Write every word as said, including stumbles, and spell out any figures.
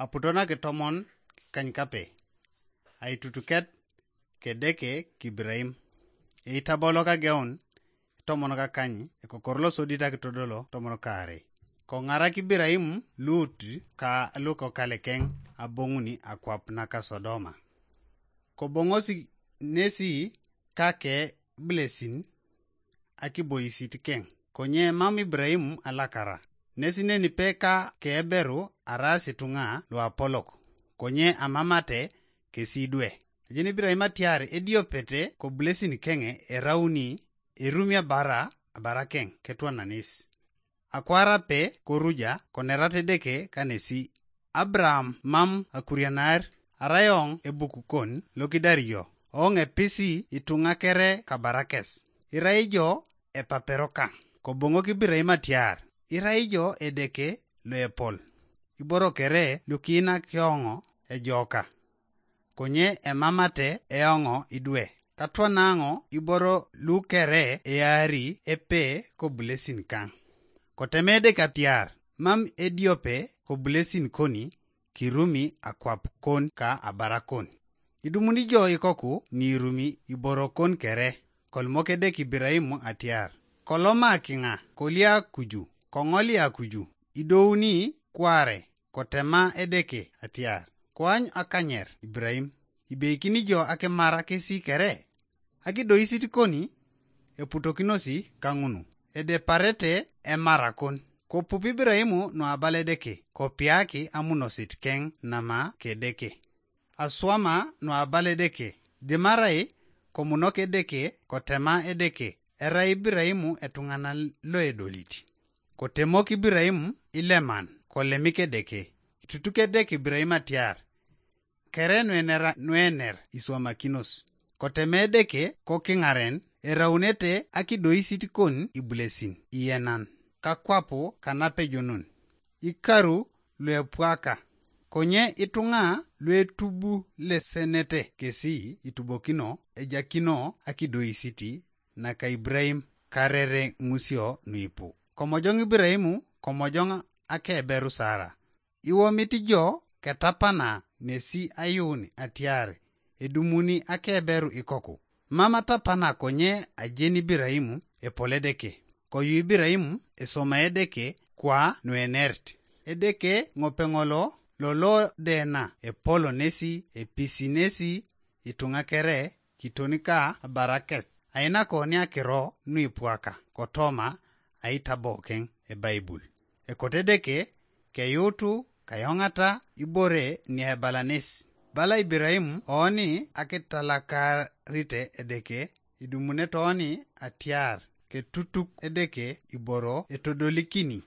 Aputo nakitomon kany kape, aitutuket kedeke kibiraim. Eitabolo kageun itomon kakany ekokor losodit akitodolo tomon kaare. Kong'arak Ibiraim Lut ka lukokalekeng abong'uni akwap naka Sodoma. Kobong'osi nesi kake blesin akiboisit keng. Konye mam Ibrahim alakara. Nesi neni pe ka keberu aras itunga luapolok. Konye amamate kesi dwe. Ajin Ibrahim atiar ediopete koblesin kenge erauni erumia bara abara keng ketwananis. Akwara pe koruja konerat Edeke kanesi. Abraham mam akurianar, arai ong ebukukon lokidario, ong episi itunga kere kabarakes. Irai jo epapero kang. Kobong'ok Ibrahim atiar, irai jo Edeke loepol. Iboro kere lukiinak eong'o ejoka. Konye emamate eong'o idwe. Katwanaŋo iboro lukere eari epe kobulesin kaŋ. Koteme Edeke atiar, mam ediope kobulesin koni kirumi akwap kon ka abarakon. Idumuni jo ikoku niirumi iborokon kere, kolimok Edeke Ibrahim atiar, koloma kiŋa kolia kuju, koŋolia kuju, idouni kware, kotema Edeke atiar, koany akanyer Ibrahim, ibeikini jo akimara kesi kere? Akidoisit koni eputokinosi kaŋunu, edeparete emarakon. Kopup Ibrahim nuabal Edeke, kopiaki amunosit keŋ nama kedeke. Aswama nuabal Edeke, dimarai komunok Edeke, kotema Edeke, erai Ibrahim etuŋanan loedolit. Kotemok Ibrahim ileman, kolemik Edeke, itutuk Edeke Ibrahim atiar, kere nuenera nuener iswamakinos. Koteme Edeke kokiŋaren, eraunete akidoisit kon ibulesin iyenan, kakwapu kanapejonun. Ikaru luepwaka. Konye ituŋa luetubulesenete kesi itubokino ejakino akidoisit naka Ibrahim karere ŋusio nuipu. Komojoŋ Ibrahim, komojoŋ akeberu Sara. Iwomit jo ketapana nesi ayuun atiar edumuni akeberu ikoku. Mam atapana konye ajen Ibrahim epol Edeke. Koyu Ibrahim esoma Edeke kwa nuenerit. Edeke ŋopeŋolo lolo dena epol nesi episi nesi ituŋa kere kiton ka abarakes. Ainako niakiro nuipwaka kotoma aitabokeŋ ebaibul. Ekote Edeke keyuutu kayoŋata ibore niebalanes. Bala Ibrahim oni akitalakarite Edeke, idumune toni atiar ketutuk Edeke iboro etodolikini.